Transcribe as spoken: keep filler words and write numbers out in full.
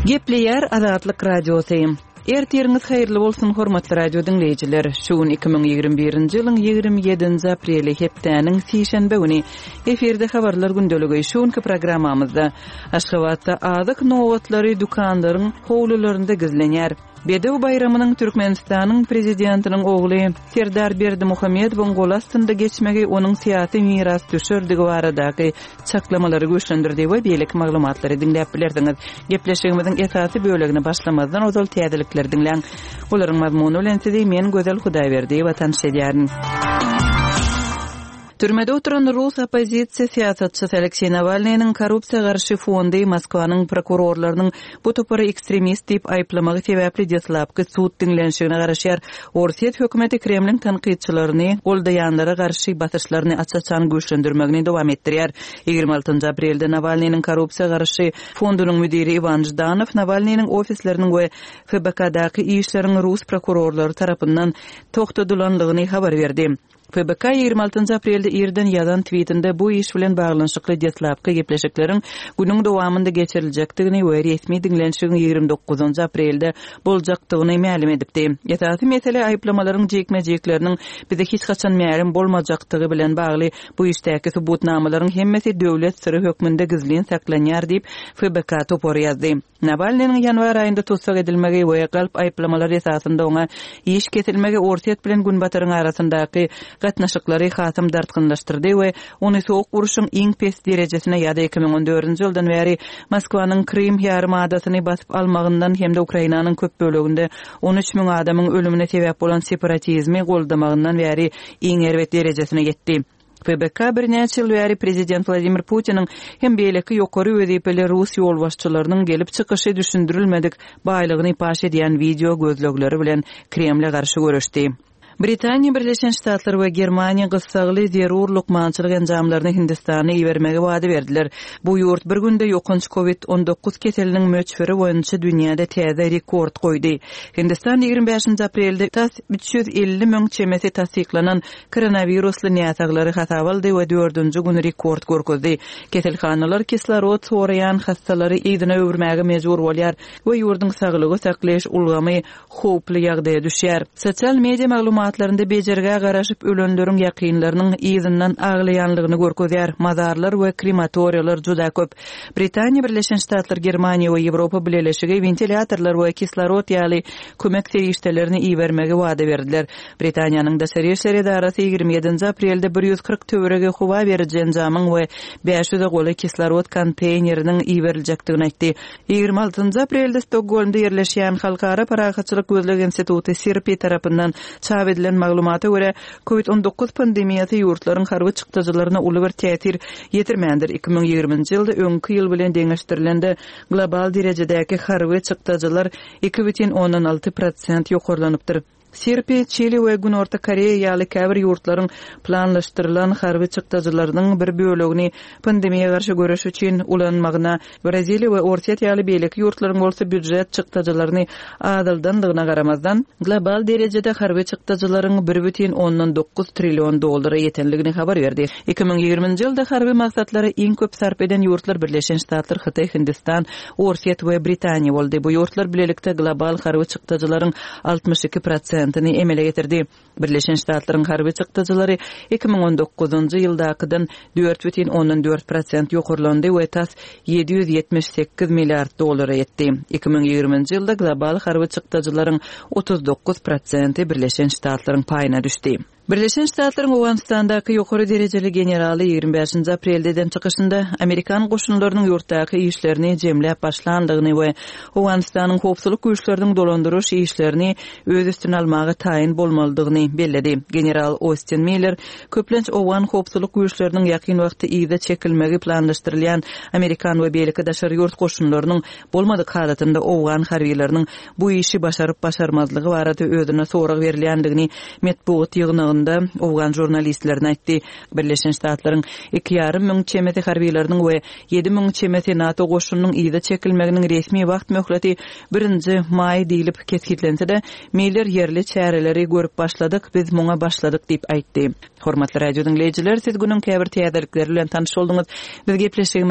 Gepleýär Azatlyk Radiosy. Ertiriňiz haýyrly bolsun, hormatly radio diňleýjiler. Şu gün iki müň ýigrimi birinji ýylyň ýigrimi ýedinji apreli, hepdäniň sişenbe güni. Efirde habarlar gündeligi. Şu günki programmamyzda Aşgabatda azyk nobatlary dükanlaryň howlularynda gizlenýär. Bedew baýramynyň Türkmenistanyň Prezidentiniň ogly Serdar Berdimuhamedowyň goly astynda geçmegi onuň syýasy mirasdüşerdigi baradaky çaklamalary güýçlendirdi we beýleki maglumatlary diňläp bilersiňiz. Gepleşigimiziň esasy bölegini başlamazdan ozal täzelikleri diňläň. Olaryň mazmuny bilen sizi men Gözel Hudaýberdiýewa tanyş edýärin. Türmede oturan rus oppozisiýa syýasatçysy Alekseý Nawalnynyň korrupsiýa garşy fondy Moskwanyň prokurorlarynyň bu topary ekstremist diýip aýyplamagy sebäpli deslapky sud diňlenişigine garaşýar. Orsýet hökümeti Kremliň tankytçylaryny goldaýanlara garşy basyşlaryny aç-açan güýçlendirmegini dowam etdirýär. Ýigrimi altynjy aprelde Nawalnynyň korrupsiýa garşy fondunyň müdiri Iwan Ždanow Nawalnynyň ofisleriniň we F B K-daky işleriň rus prokurorlary tarapyndan togtadylanlygyny habar berdi. F B K ýigrimi altynjy aprelde irden ýazan tweetinde bu iş bilen baglanyşykly deslapky gepleşikleriň günüň dowamynda geçiriljekdigini we resmi diňlenişigiň ýigrimi dokuzynjy aprelde boljakdygyny mälim edipdi. Esasy mesele aýyplamalaryň jikme-jikleriniň bize hiç haçan mälim bolmajakdygy bilen bagly bu işdäki subutnamalaryň hemmesi döwlet syry hökmünde gizlin saklanýar diýip F B K topary ýazdy. Nawalnynyň ýanwar aýynda tussag edilmegi we galp aýyplamalar esasynda oňa iş kesilmegi Orsýet bilen Günbataryň arasyndaky gatnaşyklary hasam dartgynlaşdyrdy we ony soğuk uruşyň iň pes derejesine ýa-da iki müň on dördünji ýyldan bäri Moskwanyň Krym ýarym adasyny basyp almagyndan hem-de Ukrainanyň köp böleginde on üç müň adamyň ölümine sebäp bolan separatizmi goldamagyndan bäri iň erbet derejesine ýetdi. F B K birnäçe ýyl bäri Prezident Wladimir Putiniň hem beýleki ýokary wezipeli rus ýolbaşçylarynyň gelip çykyşy düşündirilmedik baýlygyny paş edýän video gözlegleri bilen Kremle garşy görüşdi. Britaniýa, Birleşen Ştatlar we Germaniýa gyssagly zerur lukmançylyk enjamlaryny Hindistana ibermegi wada berdiler. Bu ýurt bir günde ýokanç COVID on dokuz keseliniň möçberi boýunça dünýäde täze rekord goýdy. Hindistan ýigrimi bäşinji aprelde tas üç ýüz elli müň çemesi tassyklanan koronavirusly näsaglary hasap aldy we dördünji gün rekord görkezdi. Keselhanalar kislorod soraýan hassalary yzyna öwürmäge mejbur bolýar we ýurduň saglygy saklaýyş ulgamy howply ýagdaýa düşýär. Sosial media maglumatlarynda bejergä garaşyp ölenleriň ýakynlarynyň yzyndan aglaýanlygyny görkezýär. Mazarlar we krematoriýalar juda köp. Britaniýa, Birleşen Ştatlar, Germaniýa we Ýewropa Bileleşigi wentilyatorlar we kislorod ýaly kömek serişdelerini ibermegi wada berdiler. Britaniýanyň Daşary Işler edarasy ýigrimi ýedinji aprelde bir ýüz kyrk töweregi howa beriji enjamyň we bäş ýüze golaý kislorod konteýneriniň iberiljekdigini aýtdy. Ýigrimi altynjy aprelde Stokgolmda ýerleşýän Halkara Parahatçylyk Gözleg Instituty SIRPI tarapyndan çap edilen maglumata görä, COVID on dokuz pandemiýasy ýurtlaryň harby çykdajylaryna uly bir täsir ýetirmändir. Iki müň ýigriminji ýylda öňki ýyl bilen deňeşdirilende global derejedäki harby çykdajylar iki bütin ondan alty prosent ýokarlanypdyr. SIRPI, Çili we Günorta Koreýa ýaly käbir ýurtlaryň planlaşdyrylan harby çykdajylarynyň bir bölegini pandemiýa garşy göreş üçin ulanmagyna, Braziliýa we Orsýet ýaly beýleki ýurtlaryň bolsa býujet çykdajylaryny azaldandygyna garamazdan, global derejede harby çykdajylaryň bir bütin ondan dokuz trillion dollara ýetenligini habar berdi. Iki müň ýigriminji ýylda harby maksatlara iň köp sarp eden ýurtlar Birleşen Ştatlar, Hytaý, Hindistan, Orsýet we Britaniýa boldy. Bu ýurtlar bilelikde global harby çykdajylaryň altmyş iki prosentini emele getirdi. Birleşen Ştatlaryň harby çykdajylary iki müň on dokuzunjy ýyldakydan dört bütin ondan dört prosent ýokarlandy we tas ýedi ýüz ýetmiş sekiz milliard dollara ýetdi. Iki müň ýigriminji ýylda global harby çykdajylaryň otuz dokuz prosenti Birleşen Ştatlaryň paýyna düşdi. Birleşen Ştatlaryň Owganystandaky ýokary derejeli generaly ýigrimi bäşinji aprelde eden çykyşynda Amerikan goşunlarynyň ýurtdaky işlerini jemläp başlandygyny we Owganystanyň howpsuzlyk güýçleriniň dolandyryş işlerini öz üstüne almaga taýyn bolmalydygyny belledi. General Austin Miller köplenç Owgan howpsuzlyk güýçleriniň ýakyn wagtda yza çekilmegi planlaşdyrylýan Amerikan we beýleki daşary ýurt goşunlarynyň bolmadyk halatynda Owgan harbiýlarynyň bu işi başaryp başarmazlygy barada özüne sorag berilýändigini metbugat ýygnagynda Owgan jurnalistlerine aýtdy. Birleşen Ştatlaryň iki ýarym müň çemesi harbiýlarynyň we ýedi müň çemesi NATO goşunynyň yza çekilmeginiň resmi wagt möhleti birinji maý diýlip kesgitlense-de, Miller ýerli çäreleri görüp başladyk, biz muňa başladyk diýip aýtdy. Hormatly radio diňleýjiler, siz günüň käbir täzelikleri bilen tanyş bolduňyz. Biz gepleşigimizi